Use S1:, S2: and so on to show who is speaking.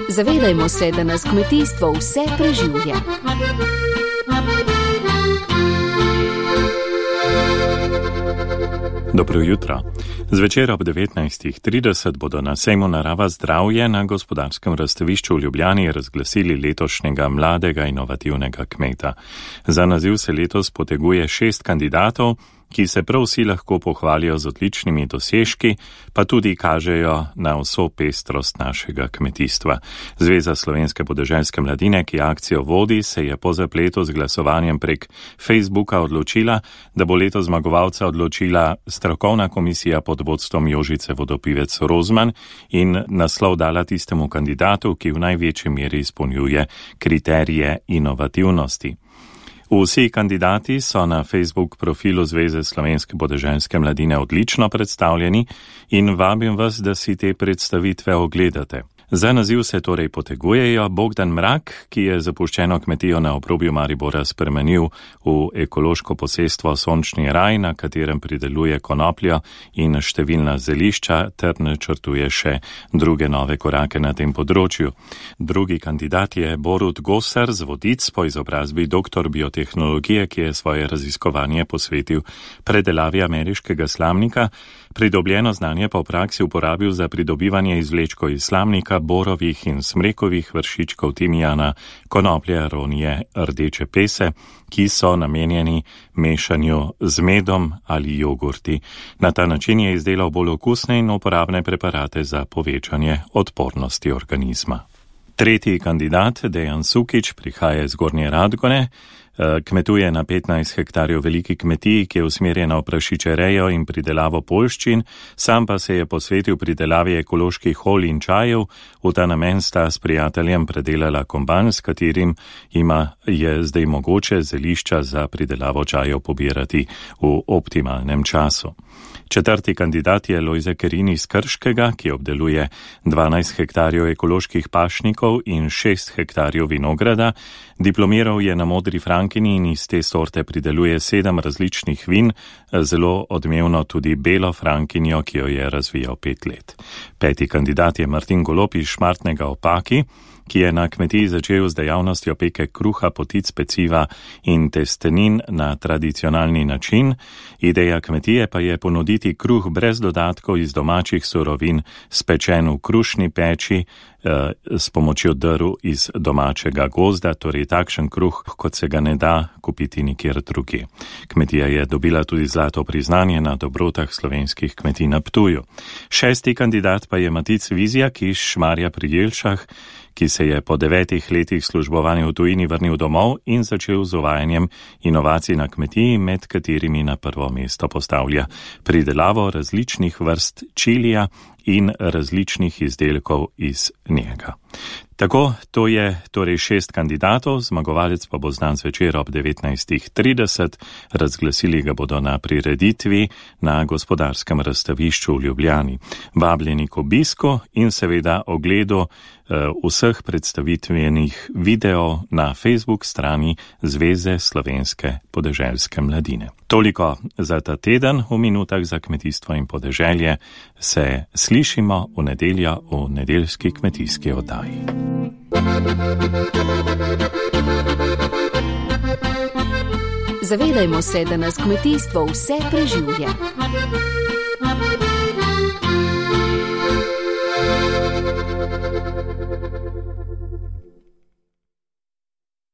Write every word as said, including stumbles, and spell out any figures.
S1: Zavedajmo se, da nas kmetijstvo vse preživlja.
S2: Dobro jutro. Zvečer ob devetnajstih trideset bodo na sejmu Narava zdravje na gospodarskem razstavišču v Ljubljani razglasili letošnjega mladega inovativnega kmeta. Za naziv se letos poteguje šest kandidatov, ki se prav vsi lahko pohvalijo z odličnimi dosežki, pa tudi kažejo na vso pestrost našega kmetijstva. Zveza slovenske podeželske mladine, ki akcijo vodi, se je po zapletu z glasovanjem prek Facebooka odločila, da bo letos zmagovalca odločila strokovna komisija pod vodstvom Jožice Vodopivec Rozman in naslov dala tistemu kandidatu, ki v največji meri izpolnjuje kriterije inovativnosti. Vsi kandidati so na Facebook profilu Zveze slovenske podeželske mladine odlično predstavljeni in vabim vas, da si te predstavitve ogledate. Za naziv se torej potegujejo Bogdan Mrak, ki je zapuščeno kmetijo na obrobju Maribora spremenil v ekološko posestvo Sončni raj, na katerem prideluje konopljo in številna zelišča ter načrtuje še druge nove korake na tem področju. Drugi kandidat je Borut Gosar z Vodic, po izobrazbi doktor biotehnologije, ki je svoje raziskovanje posvetil predelavi ameriškega slamnika, pridobljeno znanje pa v praksi uporabil za pridobivanje izvlečkov iz slamnika, borovih in smrekovih vršičkov timijana, konoplje, aronije, rdeče pese, ki so namenjeni mešanju z medom ali jogurti. Na ta način je izdelal bolj okusne in uporabne preparate za povečanje odpornosti organizma. Tretji kandidat, Dejan Sukič, prihaja iz Gornje Radgone. Kmetuje na petnajst hektarjev veliki kmetiji, ki je usmerjena v prašičerejo in pridelavo poljščin, sam pa se je posvetil pridelavi ekoloških olj in čajev. V ta namen sta s prijateljem predelala komban, s katerim ima je zdaj mogoče zelišča za pridelavo čajev pobirati v optimalnem času. Četrti kandidat je Lojze Kerin iz Krškega, ki obdeluje dvanajst hektarjev ekoloških pašnikov in šest hektarjev vinograda. Diplomiral je na Modri Frankini in iz te sorte prideluje sedem različnih vin, zelo odmevno tudi belo Frankinjo, ki jo je razvijal pet let. Peti kandidat je Martin Golob iz Šmartnega ob Paki, ki je na kmetiji začel z dejavnostjo peke kruha, potic, peciva in testenin na tradicionalni način. Ideja kmetije pa je ponuditi kruh brez dodatkov iz domačih surovin, spečen v krušni peči s pomočjo drv iz domačega gozda, torej takšen kruh, kot se ga ne da kupiti nikjer drugje. Kmetija je dobila tudi zlato priznanje na dobrotah slovenskih kmetij na Ptuju. Šesti kandidat pa je Matic Vizjak iz Šmarja pri Jelšah, ki se je po devetih letih službovanja v tujini vrnil domov in začel z uvajanjem inovacij na kmetiji, med katerimi na prvo mesto postavlja pridelavo različnih vrst čilija in različnih izdelkov iz njega. Tako, to je torej šest kandidatov, zmagovalec pa bo znan zvečer ob devetnajstih trideset, razglasili ga bodo na prireditvi na gospodarskem razstavišču v Ljubljani. Vabljeni k obisku in seveda ogledu vseh predstavitvenih videov na Facebook strani Zveze slovenske podeželske mladine. Toliko za ta teden. V minutah za kmetijstvo in podeželje se slišimo v nedeljo v nedeljski kmetijski oddaji.
S1: Zavedajmo se, da nas kmetijstvo vse preživlja.